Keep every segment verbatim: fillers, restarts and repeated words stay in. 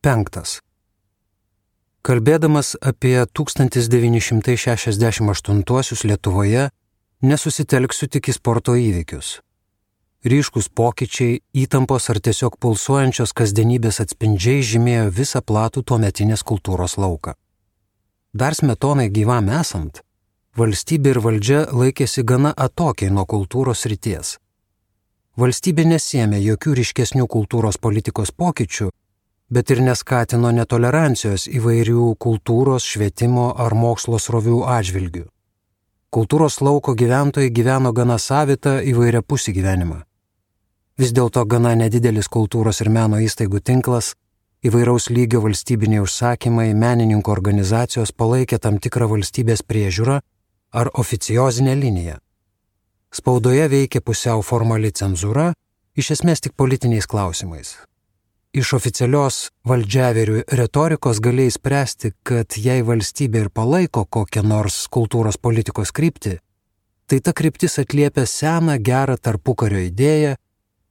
Penktas. Kalbėdamas apie tūkstantis devyni šimtai šešiasdešimt aštuntuosius Lietuvoje, nesusitelksiu tik į sporto įvykius. Ryškus pokyčiai, įtampos ar tiesiog pulsuojančios kasdienybės atspindžiai žymėjo visą platų tuometinės kultūros lauką. Dar Smetonai gyvam esant, valstybė ir valdžia laikėsi gana atokiai nuo kultūros srities. Valstybė nesėmė jokių ryškesnių kultūros politikos pokyčių, bet ir neskatino netolerancijos įvairių kultūros, švietimo ar mokslo srovių atžvilgių. Kultūros lauko gyventojai gyveno gana savitą įvairiapusį gyvenimą. Vis dėlto gana nedidelis kultūros ir meno įstaigų tinklas, įvairaus lygio valstybiniai užsakymai, menininkų organizacijos palaikė tam tikrą valstybės priežiūrą ar oficiozinę liniją. Spaudoje veikė pusiau formali cenzūra, iš esmės tik politiniais klausimais. Iš oficialios valdžiaverių retorikos galėjai spręsti, kad jei valstybė ir palaiko kokią nors kultūros politikos kryptį, tai ta kryptis atliepia seną gerą tarpukario idėją,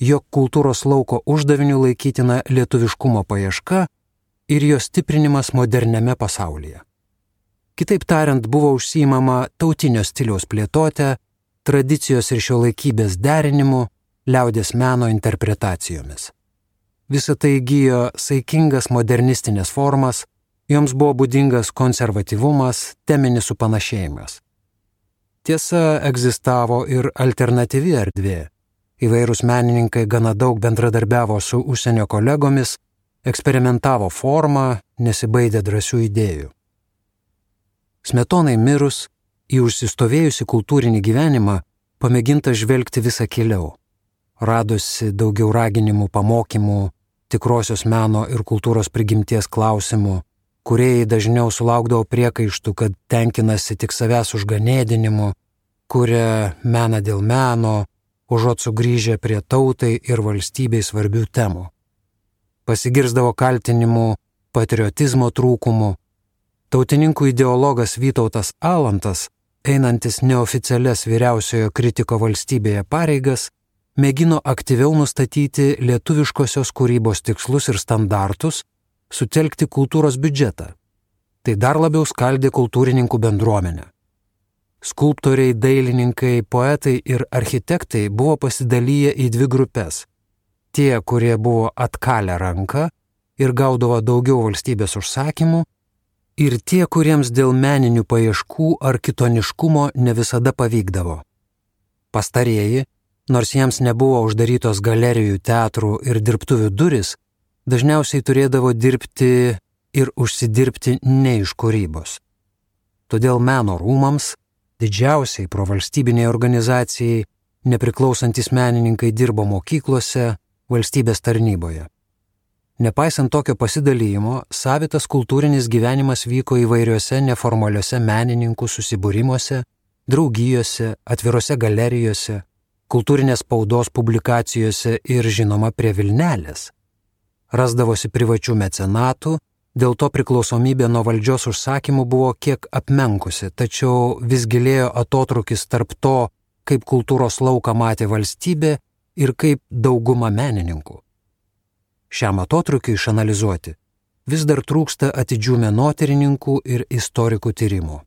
jog kultūros lauko uždaviniu laikytina lietuviškumo paieška ir jo stiprinimas moderniame pasaulyje. Kitaip tariant, buvo užsiimama tautinio stiliaus plėtotė, tradicijos ir šiuolaikybės derinimu, liaudies meno interpretacijomis. Visa tai įgijo saikingas modernistinės formas, joms buvo būdingas konservatyvumas, teminis supanašėjimas. Tiesa, egzistavo ir alternatyvi erdvė. Įvairūs menininkai gana daug bendradarbiavo su užsienio kolegomis, eksperimentavo formą, nesibaidė drąsių idėjų. Smetonai mirus, į užsistovėjusi kultūrinį gyvenimą pamėginta žvelgti visą keliau. Radosi daugiau raginimų, pamokymų, tikrosios meno ir kultūros prigimties klausimų, kūrėjai dažniau sulaukdavo priekaištų, kad tenkinasi tik savęs užganėdinimu, kuria meną dėl meno, užuot sugrįžę prie tautai ir valstybei svarbių temų. Pasigirsdavo kaltinimų patriotizmo trūkumu. Tautininkų ideologas Vytautas Alantas, einantis neoficialias vyriausiojo kritiko valstybėje pareigas, mėgino aktyviau nustatyti lietuviškosios kūrybos tikslus ir standartus, sutelkti kultūros biudžetą. Tai dar labiau skaldė kultūrininkų bendruomenę. Skulptoriai, dailininkai, poetai ir architektai buvo pasidalyję į dvi grupės. Tie, kurie buvo atkalę ranką ir gaudavo daugiau valstybės užsakymų, ir tie, kuriems dėl meninių paieškų ar kitoniškumo ne visada pavykdavo. Pastarieji, nors jiems nebuvo uždarytos galerijų, teatrų ir dirbtuvių duris, dažniausiai turėdavo dirbti ir užsidirbti ne iš kūrybos. Todėl meno rūmams, didžiausiai provalstybiniai organizacijai, nepriklausantis menininkai dirbo mokyklose, valstybės tarnyboje. Nepaisant tokio pasidalymo, savitas kultūrinis gyvenimas vyko įvairiuose neformaliuose menininkų susibūrimuose, draugijose, atvirose galerijose, kultūrinės spaudos publikacijose ir žinoma prie Vilnelės. Rasdavosi privačių mecenatų, dėl to priklausomybė nuo valdžios užsakymų buvo kiek apmenkusi, tačiau vis gilėjo atotrūkis tarp to, kaip kultūros lauką matė valstybė ir kaip dauguma menininkų. Šiam atotrūkiui išanalizuoti vis dar trūksta atidžių menotyrininkų ir istorikų tyrimų.